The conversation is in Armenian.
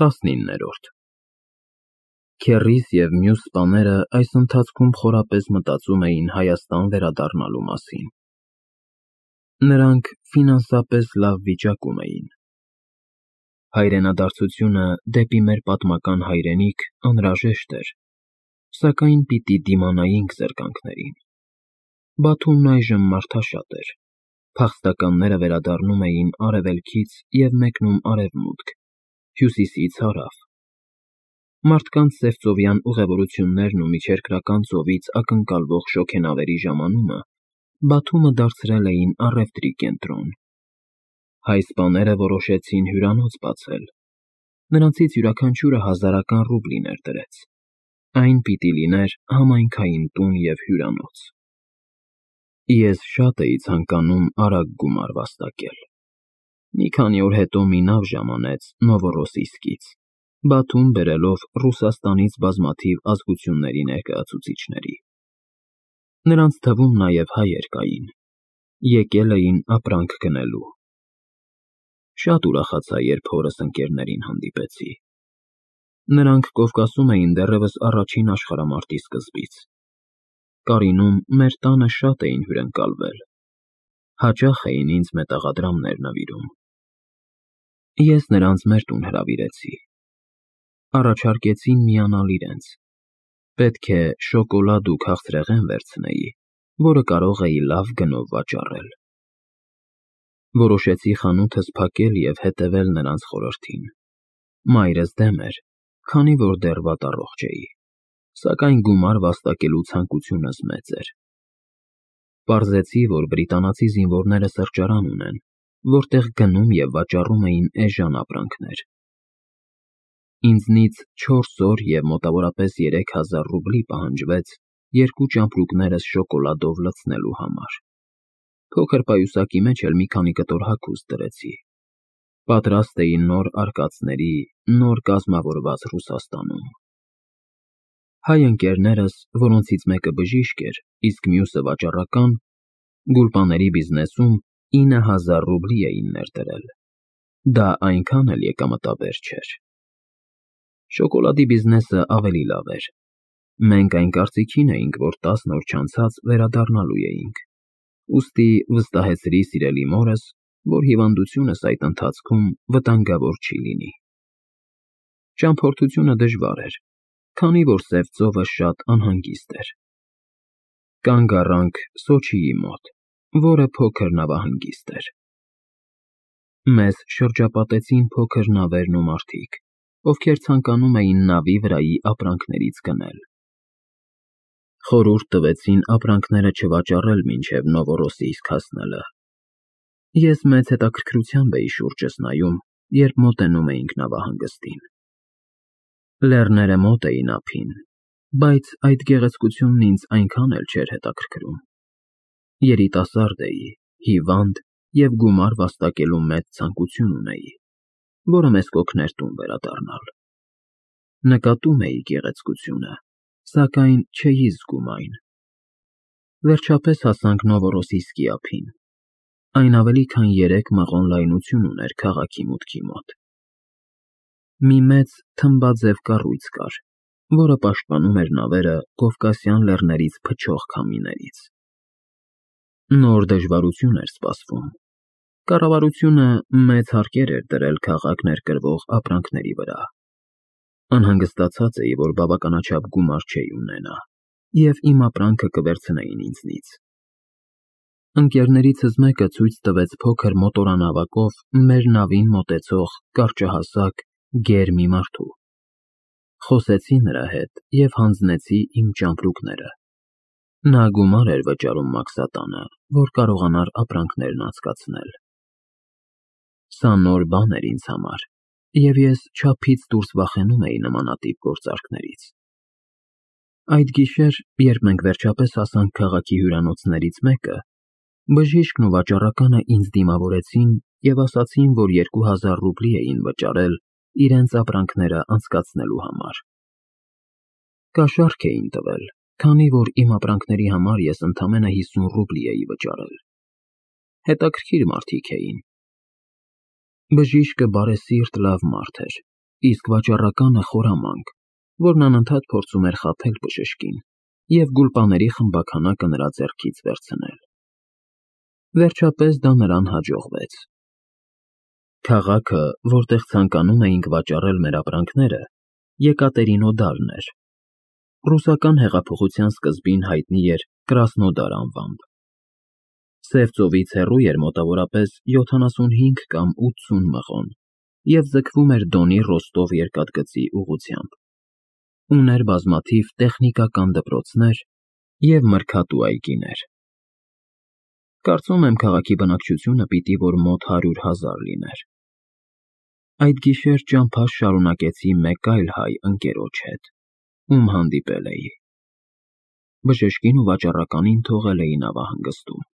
19-րդ Քեռիս և մյուս սպաները այս ընթացքում խորապես մտածում էին Հայաստան վերադառնալու մասին։ Նրանք ֆինանսապես լավ վիճակում էին։ Հայրենադարձությունը դեպի մեր պատմական հայրենիք անհրաժեշտ էր, սակայն պիտի դիմանայինք զրկանքներին։ Բաթումն այժմ մարդաշատ էր։ Փախստականները վերադառնում էին արևելքից և մեկնում արևմուտք, հյուսիսից հարավ։ Մարդկանց սևծովյան ուղևորություններն ու միջերկրական ծովից ակնկալվող շոգենավերի ժամանումը Բաթումը դարձրել էին առևտրի կենտրոն։ Հայ սպաները որոշեցին հյուրանոց բացել։ Նրանցից յուրաքանչյուրը 1000 ռուբլիներ դրեց։ Այն պիտի լիներ համայնքային տուն և հյուրանոց։ Ես շատ էի ցանկանում արագ գումար վաստակել։ Մի քանի օր հետո մի նավ ժամանեց Նովորոսիիսկից, Բաթում բերելով Ռուսաստանից բազմաթիվ ազգությունների ներկայացուցիչների։ Նրանց թվում նաև հայեր կային։ Եկել էին ապրանք գնելու։ Շատ ուրախացա, երբ հորս ընկերներին հանդիպեցի։ Նրանք Կովկասում էին դեռևս առաջին աշխարհամարտի սկզբից։ Կարինում մեր տանը շատ էին հյուրընկալվել։ Հաճախ էին ինձ մետաղադրամներ նվիրում։ Ես նրանց մեր տուն հրավիրեցի։ Առաջարկեցին միանալ իրենց։ Պետք է շոկոլադ ու քաղցրեղեն վերցնեի, որը կարող էի լավ գնով վաճառել։ Որոշեցի խանութս փակել և հետևել նրանց խորհրդին։ Մայրս դեմ էր, քանի որ դեռ վատառողջ էի, սակայն գումար վաստակելու ցանկությունս մեծ էր։ Պարզեցի, որ բրիտանացի զինվորները սրճարան ունեն, որտեղ գնում և վաճառում էին էժան ապրանքներ։ Ինձնից 4 օր և մոտավորապես 3000 ռուբլի պահանջվեց երկու ճամպրուկներս շոկոլադով լցնելու համար։ Փոքր պայուսակի մեջ էլ մի քանի կտոր հագուստ դրեցի։ Պատրաստ էի նոր արկածների, նոր կազմավորված Ռուսաստանում։ Հայ ընկերներս, որոնցից մեկը բժիշկ էր, իսկ մյուսը վաճառական, գուլպաների բիզնեսում 9000 ռուբլի էին ներդրել։ Դա այնքան էլ եկամտաբեր չէր։ Շոկոլադի բիզնեսը ավելի լավ էր։ Մենք այն կարծիքին էինք, որ 10 օր չանցած վերադառնալու էինք։ Ուստի վստահեցրի սիրելի մորս, որ հիվանդությունս այդ ընթացքում վտանգավոր չի լինի։ Ճամփորդությունը դժվար էր, քանի որ Սև ծովը շատ անհանգիստ էր։ Կանգ առանք Սոչիի մոտ, որը փոքր նավահանգիստ էր։ Մեզ շրջապատեցին փոքր նավերն ու մարդիկ, ովքեր ցանկանում էին նավի վրայի ապրանքներից գնել։ Խորհուրդ տվեցին ապրանքները չվաճառել մինչև Նովորոսիիսկ հասնելը։ Ես մեծ հետաքրքրությամբ էի շուրջս նայում, երբ մոտենում էինք նավահանգստին։ Լեռները մոտ էին ափին, բայց այդ գեղեցկությունն ինձ այնքան էլ չէր հետաքրքրում։ Երիտասարդ էի, հիվանդ և գումար վաստակելու մեծ ցանկություն ունեի, որը մեզ կօգներ տուն վերադառնալ։ Նկատում էի գեղեցկությունը, սակայն չէի զգում այն։ Վերջապես հասանք Նովորոսիիսկի ափին։ Այն ավելի քան 3 մղոն լայնություն ուներ քաղաքի մուտքի մոտ։ Մի մեծ թմբաձև կառույց կար, որը պաշտպանում էր նավերը Կովկասյան լեռներից փչող քամիներից։ Նոր դժվարություն էր սպասվում։ Կառավարությունը մեծ հարկեր էր դրել քաղաք ներկրվող ապրանքների վրա։ Անհանգստացած էի, որ բավականաչափ գումար չէի ունենա, և իմ ապրանքը կվերցնեին ինձնից։ Ընկերներիցս մեկը ցույց տվեց փոքր մոտորանավակով մեր նավին մոտեցող կարճահասակ, գեր մի մարդու։ Խոսեցի նրա հետ և հանձնեցի իմ ճամպրուկները։ Նա գումար էր վճարում մաքսատանը, որ կարողանար ապրանքներն անցկացնել։ Սա նոր բան էր ինձ համար, և ես չափից դուրս վախենում էի նմանատիպ գործարքներից։ Այդ գիշեր, երբ մենք վերջապես հասանք քաղաքի հյուրանոցներից մեկը, բժիշկն ու վաճառականը ինձ դիմավորեցին և ասացին, որ 2000 ռուբլի էին վճարել իրենց ապրանքները անցկացնելու համար։ Կաշառք էին տվել, քանի որ իմ ապրանքների համար ես ընդամենը 50 ռուբլի էի վճարել։ Հետաքրքիր մարդիկ էին։ Բժիշկը բարեսիրտ լավ մարդ էր, իսկ վաճառականը խորամանկ, որն անընդհատ փորձում էր խաբել բժշկին և գուլպաների խմբաքանակը նրա ձեռքից վերցնել։ Վերջապես դա նրան հաջողվեց։ Քաղաքը, որտեղ ցանկանում էինք վաճառել մեր ապրանքները, Եկատերինոդարն էր։ Ռուսական հեղափոխության սկզբին հայտնի էր Կրասնոդար անվամբ։ Սև ծովից հեռու էր մոտավորապես 75 կամ 80 մղոն և ձգվում էր Դոնի Ռոստով երկաթգծի ուղղությամբ։ Ուներ բազմաթիվ տեխնիկական դպրոցներ և մրգատու այգիներ։ Կարծում եմ, քաղաքի բնակչությունը պիտի որ մոտ 100,000 լիներ։ Այդ գիշեր ճամփաս շարունակեցի մեկ այլ հայ ընկերոջ հետ, ում հանդիպել էի։ Բժշկին ու վաճառականին թողել էի նավահանգստում։